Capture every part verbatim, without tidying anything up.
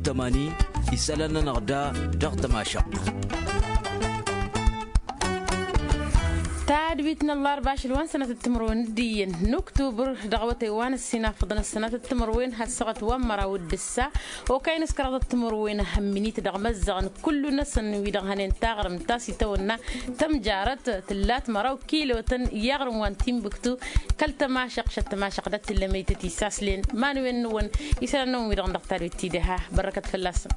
Tămani isălan-nănăɣ da dăɣ-tămašăɣt. Tadwit n-ăllarba ašăl wa n-sănatăt timǝrwen d-iyyăn n-uktubăr dăɣ-awătay wa n-ăssinafăḍăn ăssanatăt timǝrwen has-săɣăt wa n-măraw d-ǝssa. Okăy n-ǝskăraḍăt timǝrwen hămminit dăɣ-măzzăɣăn kullu-năsăn wi-dăɣ hănen taɣrǝmt ta s-itawănna tămjarăt tǝllat măraw kilotăn i-aɣrǝm wa n-timbǝktu. Kăl-tămašăɣt šăt tămašăɣt dat-tǝllămăytăt isaslen iman-wen-năwăn isălan-năwăn wi-dăɣ n-dăɣ tadwit tidăha. Bărrăkăt fălla-săn.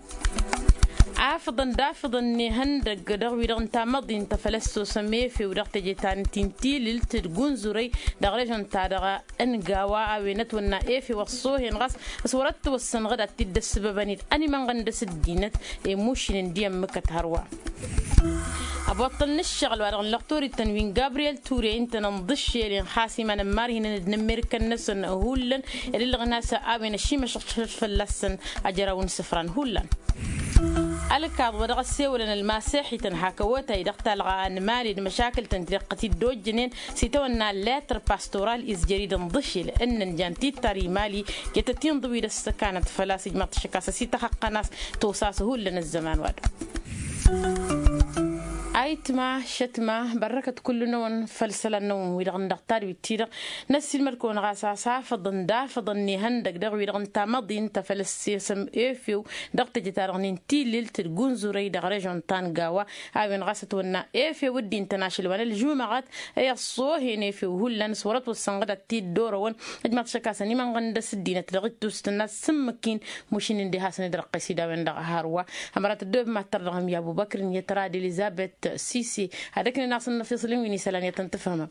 Afǝḍăn d-afǝḍăn n-ihăndăg dăɣ-wi-dăɣ n-tamăḍint ta făl ăssosăm efew dăɣ-teje ta n-tintilǝlt d-gunzurăy dăɣ-režon ta dăɣ-ăngawa a-wen ătwănna efew ăṣṣoohen ɣas s-wăr-ăttwăssăn ɣǝd ad-t-dd-ăssǝbăbăn-dd ănimănɣăn dăɣ-s ăddinăt. Emušǝnen d-iyyăn mǝkkăt hărwa. Ăboṭṭăl n-ǝššăɣǝl wa dăɣ-nǝllăɣ torit-tăn wi n-gabriyel ture ǝntănăn ḍǝššel inxas iman ămmarhinăn d-inǝmmirikăn-năsăn hullan. Ed ǝllăɣ n-asă a-wen ăšimăšăɣ šălăt fălla-săn ajăraw n-isǝfran hullan. Ălkaḍ wa dăɣ-ăssewălăn ălmaseḥităn hak ăwotay dăɣ-talɣa a ănmali d-măšakǝl-tăn-ti-dăɣ tăt-dd-ojjănen s-itawănna letr pastoral izjăr-dd ǝnḍǝšel ǝnnăn jan tittar imali. Jetăt-inḍǝw-dd ăssăkanăt făl-a-s ǝjmăɣ-t ašăk a-s ăsităxăqqăn a-s tosas hullan ăzzăman wa-dăɣ. Ayǝtma šătma bărrăkăt kullu-năwăn făll-isălan-năwăn wi-dăɣ n-dăɣ tadwit-ti-dăɣ. Năssiilmăd-kăwăn ɣas a-s afǝḍăn d-afǝḍăn n-ihăndăg dăɣ-wi-dăɣ n-tamăḍint ta făl ăssesăm efew dăɣ-teje-ta-dăɣ n-intilǝlt d-gunzurăy dăɣ-režon ta n-gawa. A-wen ɣas ătwănna efew dd-intăn ašăl wa n-ălžumăɣăt i-ăṣṣoohen efew hullan s-wăr-ătwăssăn ɣǝd ad-t-dd-orăwăn. Ăjmaḍ ašăk a-s ănimănɣăn dăɣ-s ăddinăt dăɣ-ittus tǝnna s-sǝmmǝk-in mušǝn-in diha-săn d-răqqes-i d-a-wen-dăɣ a hărwa. Ămărat ăddoobem ad-tărdăɣăm i-abubăkr n-iyyăt ra d-elizăbet sise ad-ăknen a-s ănnăfiṣǝl n-wi n-isălan i-ad-tăn-tǝfhǝmăm.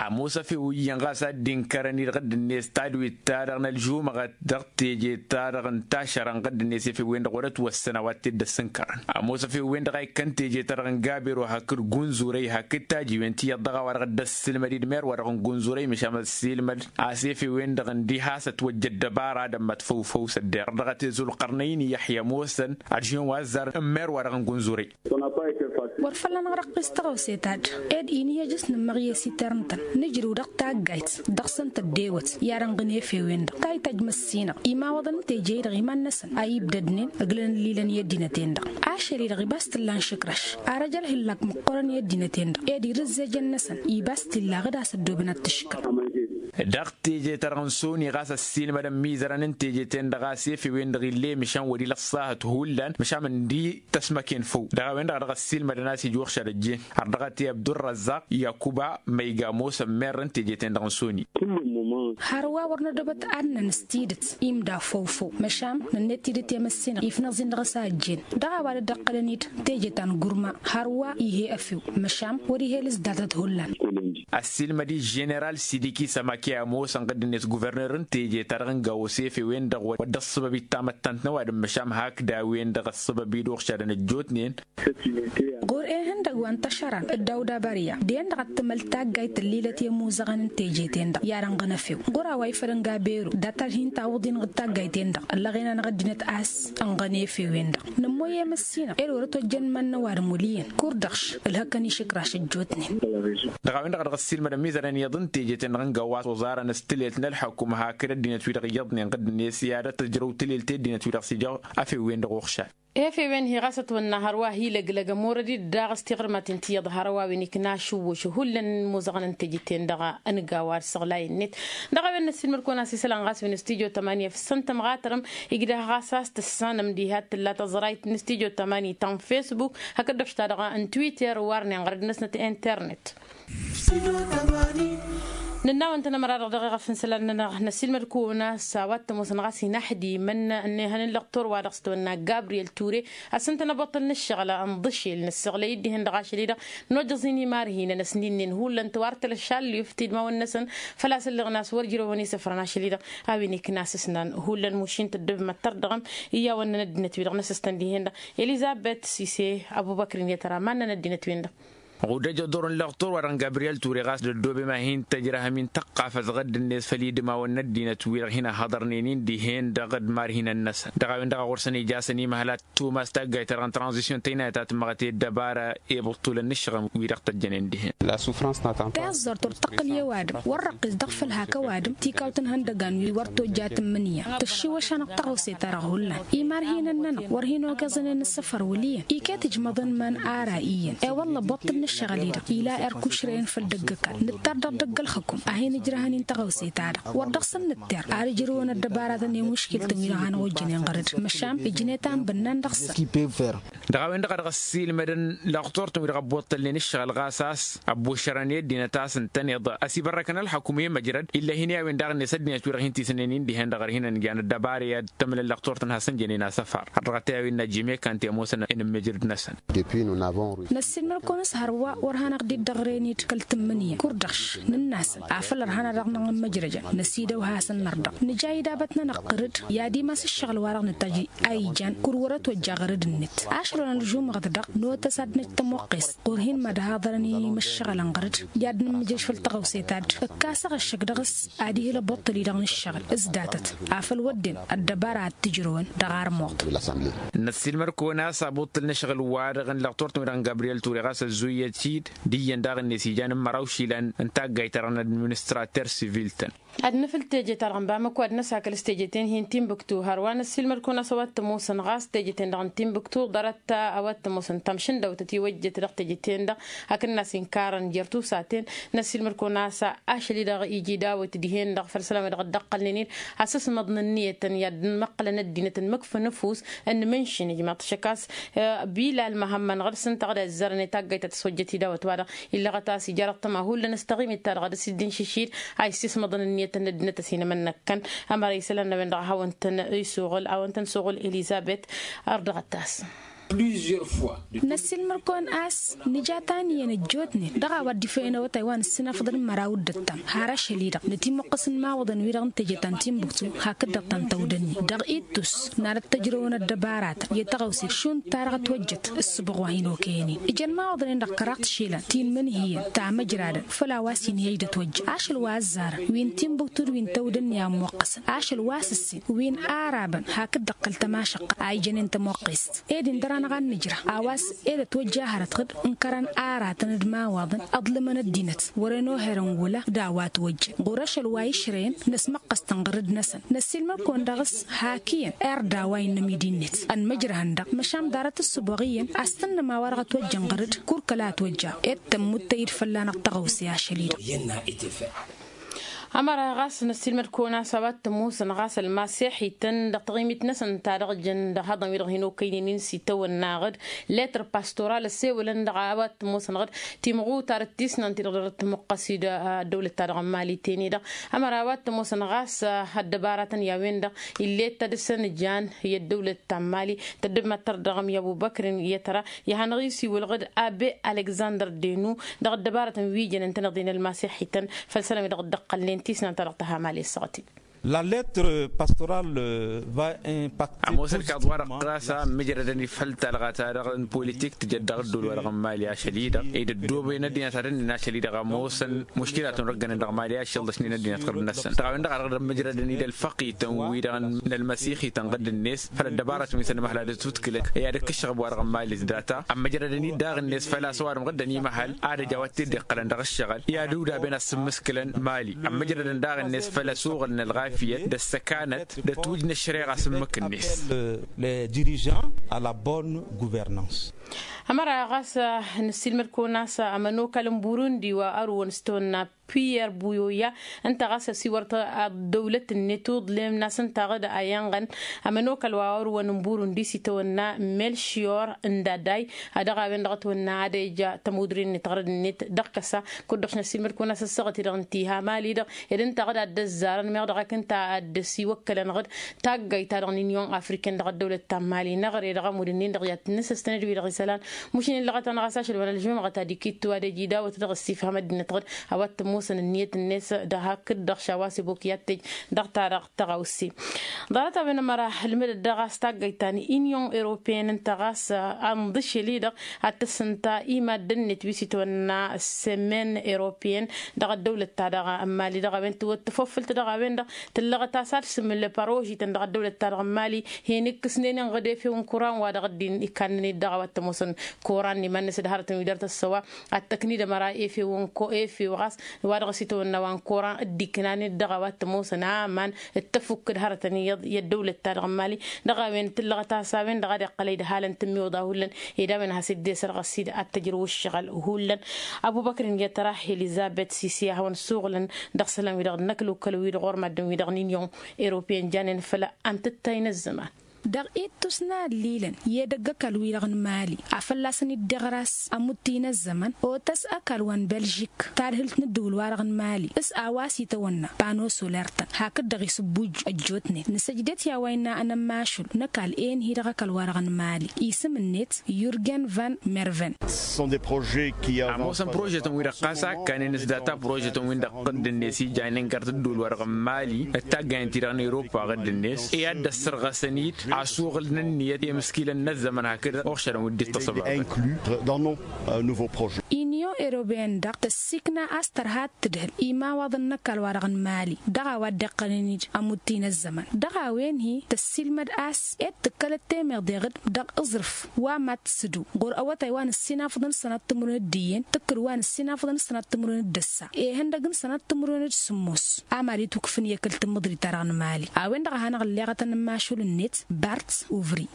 Ămoos efew iyyăn ɣas a dd-inkărăn-dd ɣǝdd-net tadwit-ta-dăɣ n-ălžumăɣăt dăɣ-teje-ta-dăɣ n-tašăra n-ɣǝdd-net efew-wen-dăɣ wăr-ătwăssăn a-wa t-dd-ăssǝnkărăn. Ămoos efew-wen-dăɣ a ikkăn teje-ta-dăɣ n-gabero hakd gunzurăy hakd tajiwen ti iyyăḍ dăɣ-a-wa-dăɣ dd-ăssilmăd-dd mer-wa-dăɣ n-gunzurăy măšan ăssilmăd a-s efew-wen-dăɣ ǝndiha a-s ătwăjja ăddăbara ad-ămmăt făw-făw s-ădder dăɣ-t e-zulqărnăy n-iyyăḥya ămoosăn ălžen wa ăzzarăn n-mer-wa-dăɣ n-gunzurăy. Wăr făl anăɣrăqqis tăɣawse ta-dd ed-in i-ăj s-nǝmmăɣ i-esiter-ǝntăn nǝjrǝw dăɣ-taggayt dăɣ-săn tăddewăt i-ad-ănɣǝn efew-en-dăɣ ta ităjj măssinăɣ imawaḍăn n-teje-i-dăɣ iman-năsăn a ibdădnen ǝglăn ǝllilăn i-ăddinăt-en-dăɣ. Ašăl-i-dăɣ ibas t-illa n-išǝkraš ar ăj ălhǝllak măqqoorăn i-ăddinăt-en-dăɣ ed irǝzzejăn-năsăn ibas t-illa ɣǝd a-s ăddoobăn ad-t-ǝškǝl. Dăɣ-teje-ta-dăɣ n-soni ɣas ăssiilmădăn imizărăn n-teje-ten-dăɣ a-s efew-en-dăɣ ill'-e măšan wăr-ila ăṣṣahăt hullan măšan ǝndi tăsmăken făw dăɣ-a-wen-dăɣ a dăɣ-ăssiilmădăn a-s ija uɣšad ăjjeen har dăɣ-t i-abdurrazzaq yakuba ma iga ămoosăn merrăn teje-ten-dăɣ n-soni. Hărwa wăr nădobăt ad-năn s-tidǝt imda făw-făw măšan nănnet tidǝt i-măssinăɣ ifnăẓ-in dăɣ-s a ăjjeen dăɣ-a-wa dd-ăqqălăn-dd teje ta n-gurma hărwa ih'-e efew măšan wăr-ih'-e ălǝzdatăt hullan. Ăssiilmăd-i ženeral sidiki sămake ămoosăn ɣǝdd-net guverner n-teje-ta-dăɣ n-gawăs efew-en-dăɣ wăr dd-ăṣṣăbăb-dd tamăttant n-ăwadǝm măšan hakd a-wen-dăɣ ăṣṣăbăb-dd uɣšadăn ăjjootnen. Ɣur-e ihăndăg wa n-tašăran d-dawda bărya d-en-dăɣ ad-tǝmăl taggayt ǝllilăt i-ămuzăɣăn n-teje-ten-dăɣ i-ad-ănɣăn efew ɣur-a-wa ifăl n-gaberu dat-ad-hin-tawǝḍ-in ɣǝd taggayt-en-dăɣ ăllăɣen-anăɣ ăddinăt a-s ănɣăn efew-en-dăɣ. Nămmoy i-măssinăɣ ed wăr-ătojjăn iman n-ăwadǝm wăl' iyyăn kurdăɣš ǝlhăkkăn išǝkraš ăjjootnen. Dăɣ-a-wen-dăɣ a dăɣ-ăssiilmădăn imizărăn iyyăḍ n-teje-ten-dăɣ n-găwwas oẓarăn s-tǝlelt n-ălḥăkum hakd ăddinăt-wi-dăɣ iyyăḍnen ɣǝddǝnet i-ad-tǝjrăw tǝlelt i-ăddinăt-wi-dăɣ s-ija efew-wen-dăɣ uɣšad. Efew-en hi-ɣas ătwănna hărwa hi-lăglăg ămorăd-dd daɣ s-tiɣrǝmaten ti iyyăḍ hărwa a-wen ikna ašǝwwǝš hullan n-imuzăɣăn n-teje-ten-dăɣ n-găwwas săɣlay-net. Dăɣ-a-wen n-ăssiilmăd-kăwăn a-s isălan ɣas wi n-stujo tămanya f-ǝssăn tămɣatărăm igdăh ɣas a-s tǝssanăm diha t-tǝlla tăẓrayt n-stujo tămanya ta n-facebook hakd-dăɣ ta-dăɣ n-twitter warnen ɣărăd-năsnăt internet. Nǝnna-wăn-tăn ămăra-dăɣ dăɣ-eɣăf n-isălan-nănăɣ năssiilmăd-kăwăn a-s a-wa t-ămoosăn ɣas inăḥdimăn n-ehăn n-lăqtor wa dăɣ-s tăwănna gabriyel ture. Ăssăn-tăn ăboṭṭăl n-ǝššăɣǝl n-iḍǝšel nǝsseɣlăy-dd dihen dăɣ-ašăl-i-dăɣ nojăẓ-in imarhinăn ăsninen hullan tăwartăl ăšallift idmawăn-năsăn. Făl-a-s ǝlleɣ n-a-s wăr jrăwăn isǝfrăn ašăl-i-dăɣ a-wen ikna asǝsnan hullan mušin tăddobem ad-tărdăɣăm iyyawăn-năn ăddinăt-wi-dăɣ n-asǝstăn dihen-dăɣ. Elizăbet sise ăbubăkr-in i-tăra mannăn ăddinăt-wen-dăɣ. Ɣudăj oḍor n-lăɣtur wa-dăɣ n-gabriyel ture ɣas dăddobe ma hin-tăjrăhăm-in tăqqafăt ɣǝdd-net făll-idmawăn n-ăddinăt wi-dăɣ hin-ăhhăḍărnen-in dihen-dăɣ d-imarhinăn-năsăn dăɣ-a-wen-dăɣ a ɣur-săn ija a-s ănimăhăl ad-tumas taggayt-ta-dăɣ n-tranzisyon tăynayăt a tǝmmăɣăt i-ăddăbara i-ibǝṭṭulăn n-ǝššăɣǝl wi-dăɣ tăjjănen dihen. Tiẓẓurt ur tăqqǝl i-ăwadǝm wăr răqqis dăɣ-făll-hak ăwadǝm tikawt n-ihăndăgan wi wăr tojja tǝmmǝnǝya tǝššiwăš-anăɣ tăɣawse-ta-dăɣ hullan. Imărhinăn-nănăɣ wăr hin-okăẓnen ǝssăfăr wăl' iyyăn iket ǝjmăḍăn iman ara iyyăn i-wălla ăbbuṭṭǝl n-ǝššăɣǝl-i-dăɣ ila erk ušrăyăn făll-dăgg-ăkall nǝttar dăɣ-dăgg-ălxǝkum a hin-ǝjrăhăn-in tăɣawse-ta-dăɣ wăr dăɣ-săn nǝtter ad-ǝjrǝwăn ăddăbaratăn i-muškiltăn wi-dăɣ hanăɣ-ojjănen ɣăr-dd măšan ǝjnet a n-bǝnnan dăɣ-săn. Dăɣ-a-wen-dăɣ a dăɣ-ăssiilmădăn lăɣturtăn wi-dăɣ ăbbuṭṭălnen ǝššăɣǝl ɣas a-s ăbbušărăn i-ăddinăt a-s ǝntăneḍ ăsibărrăkăn ălxukǝm i-măjrăd ill'-e hin-i a-wen daɣ-net ăddinăt wi-dăɣ hin-tisǝnnen-in dihen-dăɣ ărhinăn ǝjan ăddăbara i-ad-tămlăl lăɣturtăn hasăn-jănen asăfar har dăɣ-t i-a-wen n-ajimekante ămoosăn. Inǝmmǝjrǝd-năsăn. Năssiilmăd-kăwăn s-hărwa wăr hanăɣ-dd-iddăɣren-dd kăl-tǝmmǝnǝya kur-dăɣ š nǝnn'-asăn afăl ărhan ad-dăɣ-năɣ-nǝmmǝjrăjăn năsidăw hasăn-năr-dăɣ nǝja idabăt-nănăɣ ɣǝr-dd i-ad-imas ǝššăɣǝl-wa-dăɣ nǝtajj a ijan kur-wăr-ătwăjja ɣăr-dd-net ašăl wa n-ălžumăɣăt-dăɣ notăs ad-năj tămoqqes ɣur-hin-mad-haḍărăn i-imǝššăɣǝlăn ɣăr-dd i-ad-nǝmmǝjrăj făll-tăɣawse ta dd-ǝkkasăɣ ăššăk dăɣ-s ad-ihǝl ăbuṭṭǝl-i-dăɣ n-ǝššăɣǝl s-datăt afăl wădden ăddăbara ad-t-ǝjrǝwăn dăɣ-armuḍ. Năssiilmăd-kăwăn a-s abuṭṭǝl n-ǝššăɣǝl-wa-dăɣ n-lăɣturtăn-wi-dăɣ n-gabriyel ture ɣas ăzzuyăt-dd d-iyyăn daɣ-net ijan n-măraw išilan n-taggayt-ta-dăɣ n-administrater sivil-tăn. Ad-nǝfǝl teje-ta-dăɣ n-bamăko ad-năsakăl s-teje-ten-hi n-timbuktu hărwa năssiilmăd-kăwăn a-s a-wa t-ămoosăn ɣas teje-ten-dăɣ n-timbuktu ḍarăt a-wa t-ămoosăn tamšǝndawtăt i-wăjjăt dăɣ-teje-ten-dăɣ hakd n-a-s inkarăn jer-tusaten. Năssiilmăd-kăwăn a-s ašăl-i-dăɣ iji dawăt dihen-dăɣ făll-isălan wi dăɣ-dd-ăqqălnen-dd asǝsmăḍ n-ǝnniyătăn i-ad-dd-măqqǝlăn ăddinăt n-imǝkfăn ăfuss n-imǝnšǝn ijmaḍ-t šăkkas. Bilal măhămmăn ɣǝr-s ǝnta a ɣǝd ăzzărăn i-taggayt ta tăswăjjăt i-dawăt-wa-dăɣ illăɣăt a-s ija dăɣ-tămahullan s-taɣimit-ta-dăɣ ad-dăr-s dd-inšǝššid a issismăḍăn ǝnniyătăn n-ăddinăt ăsinămănnăkkăn. Ămăra isălan n-a-wen-dăɣ a hawăn-tăn-isuɣǝl a hawăn-tăn-suɣǝl elizăbet. Ărdăɣăt-as. Năssiilmăd-kăwăn a-s nǝja ta n-iyyăn ăjjootnen dăɣ-a-wa dd-ifăyăn awătay wa nǝssinafăḍăn măraw d-ǝttam har ašăl-i-dăɣ nătimuqqǝs n-imawăḍăn-wi-dăɣ n-teje ta n-timbuktu hakd-dăɣ ta n-tawdănni dăɣ-ittus n-ad-ăttăjrăwăn ăddăbaratăn i-tăɣawse šund ta-dăɣ ătwăjjăt ǝssǝbuɣ wa hin-okăyăn-in ǝjăn imawăḍnen-dăɣ kăraḍ tišilăn ti n-imǝnhǝyăn tamăjradăn făll-a-wa s-inhǝyăj d-ătwăjja ašăl wa ăzzarăn wi n-timbuktu d-wi n-tawdănni a ǝmmuqqăsăn ašăl wa s-ǝssin wi n-arabăn hakd-dăɣ kăl-tamašăqqa a ijănen tămoqqest ed-in dăr-anăɣ ad-nǝjrăh a-wa s-ed ătwăjja hărăt ɣǝd n-kărăn aratăn d-imawaḍăn ăḍlǝmăn ăddinăt wăren oherăn wăla d-a-wa ătwăjjăn ɣur-ašăl wa išrăyăn năsmăqqăs-tăn ɣǝr-dd-năsăn năssiilmăd-kăwăn dăɣ-s hak iyyăn erd a-wa innă midi-net ănmăjrăhăn-dăɣ măšan ḍarăt ǝssǝboɣ iyyăn a-s tǝnnǝm a-wa-dăɣ ătwăjjăn ɣǝr-dd kur kăla ătwăjja ed tămmuttăy-dd fălla-năɣ tăɣawse ašăl-i-dăɣ. Ămăra ɣas năssiilmăd-kăwăn a-s a-wa t-ămoosăn ɣas ălmaseḥităn dăɣ-taɣimit-năsăn ta dăɣ-jăn dăɣ-ihăḍăn wi-dăɣ hin-okăynen-in s-itawănna ɣǝd letr pastoral ăssewălăn dăɣ-a-wa t-ămoosăn ɣǝd timɣutar d-tisnan ti-dăɣ dăr-tămuqqăs-dd ăddăwlăt-ta-dăɣ n-mali ten-i-dăɣ. Ămăra a-wa t-ămoosăn ɣas ăddăbaratăn i-a-wen-dăɣ ill'-e d-tadǝsăn jan i-ăddăwlăt ta n-mali tăddǝmăttăr dăɣ-ămmi ăbubăkr i-tăra i-hanăɣ-isiwǝl ɣǝd abe alexandăr denu dăɣ-ăddăbaratăn wi jăn ǝntăneḍ-in ălmaseḥităn făll-isălan wi dăɣ-dd-ăqqălnen tisnan-ta-dăɣ tăha mali ăssaɣăt-in. La lettre pastorale va impacter ămoosăn kaḍ wa-dăɣ ɣas a ǝmmǝjrădăn-dd făll-talɣa-ta-dăɣ n-politik tǝjăd dăɣ-ădduul-wa-dăɣ n-mali ašăl-i-dăɣ ed ăddoobăyăn ăddinăt ad-ǝnnin ašăl-i-dăɣ ămoosăn muškilatăn răggănen dăɣ-mali ašăl ḍăšnen ăddinăt ɣǝr-năsăn dăɣ-a-wen-dăɣ a dăɣ-dd-ămmǝjrădăn-dd ălfăqităn-wi-dăɣ n-ălmăsixităn ɣǝdd-net făll-ăddăbaratăn wi s-ănmăhăl ad-ătutǝklăt i-ad-ǝkkǝššăɣ ăbwa-dăɣ n-mali s-data ămmǝjrădăn-dd daɣ-net făl-a-s ăwadǝm ɣǝddăn imăhăl ad-ăj a-wa t-dd-iqqălăn dăɣ-ǝššăɣǝl i-ad-udaben a-s ǝmmǝskǝlăn mali ămmǝjrădăn daɣ-net făll-ăsuɣǝl n-ălɣafyăt d-ăssăkanăt d-ătwǝj n-ăššăreɣa a-s ǝmmǝk-net. Les dirigeants à la bonne gouvernance. Ămăra ɣas năssiilmăd-kăwăn a-s ămănokal n-burundi wa ărwăn s-tawănna piyer buyoya ǝnta ɣas ăsiwăr ăddăwlăt-net uḍlem n-asǝntaɣ-dd a inɣăn ămănokal wa ărwăn n-burundi s-itawănna melšiyor n-daday. Dăɣ-a-wen-dăɣ ătwănna ad-eja tămudre-net ɣărăd-net dăɣ-kăsa kud-dăɣ-š năssiilmăd-kăwăn-as ăssaɣăt-i-dăɣ n-tiha mali-dăɣ ed ǝnta ɣǝd ad-dd-ăzzarăn meɣ dăɣ-ak ǝnta ad-dd-ăsiwăkkălăn ɣǝd taggayt-ta-dăɣ n-inyon afriken dăɣ-ăddăwlăt ta n-mali n-aɣre dăɣ-ămudd-ǝnnin-dăɣ i-ad-tǝnnǝsǝstăn d-wi-dăɣ isălan. Mušin illăɣăt-anăɣ a-s ašăl wa n-ălžumăɣăt ad-ikittu ad-ej idawăt dăɣ-ăssifhăm ăddinăt ɣǝd a-wa t-ămoosăn ǝnniyăt-net. Dăɣ-hakd-dăɣ šawa s-ebok i-ad-t-ej dăɣ-ta-dăɣ tăɣawse. Ḍarăt-a-wen ămăra ǝlmǝdăt dăɣ-a-s taggayt ta n-inyon europeyăn ǝnta ɣas a ǝnḍǝšel-i-dăɣ ad-tăssǝnta i-maddǝn-net wi s-itwănna sămen europeyăn dăɣ-ăddăwlăt-ta-dăɣ n-mali dăɣ-a-wen tǝwwăt tăfofǝlt dăɣ-a-wen-dăɣ tǝllăɣăt a-s ad-sǝmǝl parožităn dăɣ-ăddăwlăt-ta-dăɣ n-mali. Hin-ikkǝsnen inɣǝd efew n-kuran wa dăɣ-dd-in ikannăn-dd dăɣ-a-wa t-ămoosăn n-kuran n-iman-năsăd hărătăn wi dăr-tăssăwa ad-tăknid ămăra efew n-ko efew ɣas wa dăɣ-s itwănna wa n-kuran dd-iknan-dd dăɣ-a-wa t-ămoosăn aman d-tăfukkǝd hărătăn i-ăddăwlăt-ta-dăɣ n-mali. Dăɣ-a-wen tǝllăɣăt a-s a-wen-dăɣ ad-iqqăl ed halăn tǝmmiwǝḍa hullan ed a-wen ad-has-dd-esărɣăs-dd ad-t-ăjrǝw ǝššăɣǝl hullan. Abubăkr-in i-ad-tăra elizăbet sisi a hawăn-suɣǝlăn dăɣ-isălan-wi-dăɣ d-inăklukkăl-wi-dăɣ ɣur-maddǝn-wi-dăɣ n-inyon europeyăn janen făll-antǝttay n-ăzzăman. Dăɣ-ittus n-allilăn i-edăgg ăkall-wi-dăɣ n-mali a fălla-săn iddeɣ ras ămuttǝy n-ăzzăman otăs ăkall wa n-belžik tadhǝlt n-ǝddǝwǝl-wa-dăɣ n-mali s-a-wa s-itawănna pano soler-tăn hakd-dăɣ isǝbbuj ăjjootnen nǝsăjdăt i-a-wa innă anămmašul n-ăkall enhi dăɣ-ăkall-wa-dăɣ n-mali isǝm-net yurgen van merven. Ămoosăn prožetăn-wi-dăɣ ɣas a ǝkkanen s-data prožetăn-win-dăɣ ɣǝdd-net ijanen găr tǝddǝwǝl-wa-dăɣ n-mali d-taggayăn-ti-dăɣ n-eropa ɣǝdd-net i-ad-dd-ăssărɣăsăn-dd asuɣǝl n-ǝnniyăt i-imǝskilăn n-ăzzăman hakd oɣšădăn wi dd-ittăṣăbabăn. Inyon europeyăn-dăɣ tăssikna a-s tărha ad-tǝdhǝl imawaḍăn n-ăkall-wa-dăɣ n-mali dăɣ-a-wa dd-iqqălăn-dd ămuttǝy n-ăzzăman dăɣ-a-wen-hi tăssiilmăd a-s ed tǝkkălăt temeḍe ɣǝd dăɣ-aẓrǝf wa mad-t-sǝdǝw ɣur-awătay wa n-ǝssinafăḍăn s-sănat timǝrwen d-iyyăn tǝkkǝd wa n-ǝssinafăḍăn s-sănat timǝrwen d-ǝssa ihăndăg n-sănat timǝrwen d-sǝmmos a mad-itukǝfǝn i-ăkall tǝmmǝḍrit-ta-dăɣ n-mali. A-wen-dăɣ a hanăɣ-ǝlleɣătăn n-imašul-net bart uvri.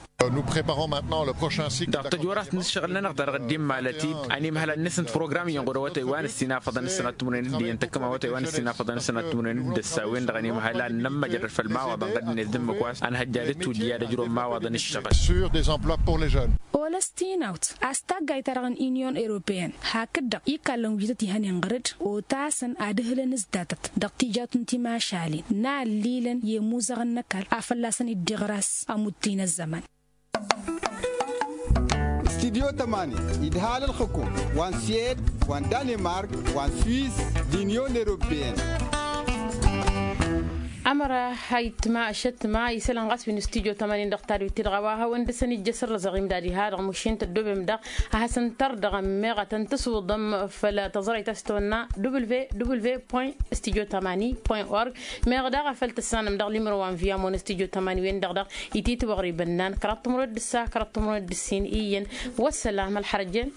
Dăɣ-tăjwărat n-ǝššăɣǝl-nănăɣ ta dăɣ-dd-immalăt-dd ănimhăl ad-nǝsǝnt program-iyyăn ɣur-awătay wa n-ǝssinafăḍăn s-sănat timǝrwen d-iyyăn tăkkăm awătay wa n-ǝssinafăḍăn s-sănat timǝrwen d-ǝssa a-wen-dăɣ ănimhăl ad-nămmăjrăd făll-imawaḍăn ɣǝd-net d-ǝmmǝk wa s-ănhăjja d-ǝtwǝjja d-ăjrăw n-imawaḍăn ǝššăɣǝl. Olăs tinawt a-s taggayt-ta-dăɣ n-inyon europeyăn hakd-dăɣ ikallăn wi tăt-ihănen ɣǝr-dd otasăn ad-ǝhǝlăn s-datăt dăɣ-tijawt n-timašalen n-allilăn i-imuzăɣăn n-ăkall a fălla-săn iddeɣ ras ămuttǝy n-ăzzăman. Studyo tămani idhal ălxǝkum wa n-siyed wa n-danimark wa n-swiss d-inyon europeyăn. Ămăra ha ittǝma ašăttǝma isălan ɣas wi n-studyo tămani dăɣ-tadwit-ti-dăɣ a-wa hawăn-dd-săn ijjăsăr d-azăɣim d-ad-iha-dăɣ mušin tăddobem daɣ ad-hasăn-tărdăɣăm meɣ ad-tăn-tǝswǝḍăm făll-tăẓrăyt a-s tăwănna www point studyo tămani point org. Meɣ daɣ a făl tǝssanăm dăɣ-limro wa n-viyamon studyo tămani-wen-dăɣ daɣ ititwăɣribăn n-an kăraḍ timǝrwen d-ǝssa kăraḍ timǝrwen d-ǝssin iyyăn. Wăssălam ălxărăjjen.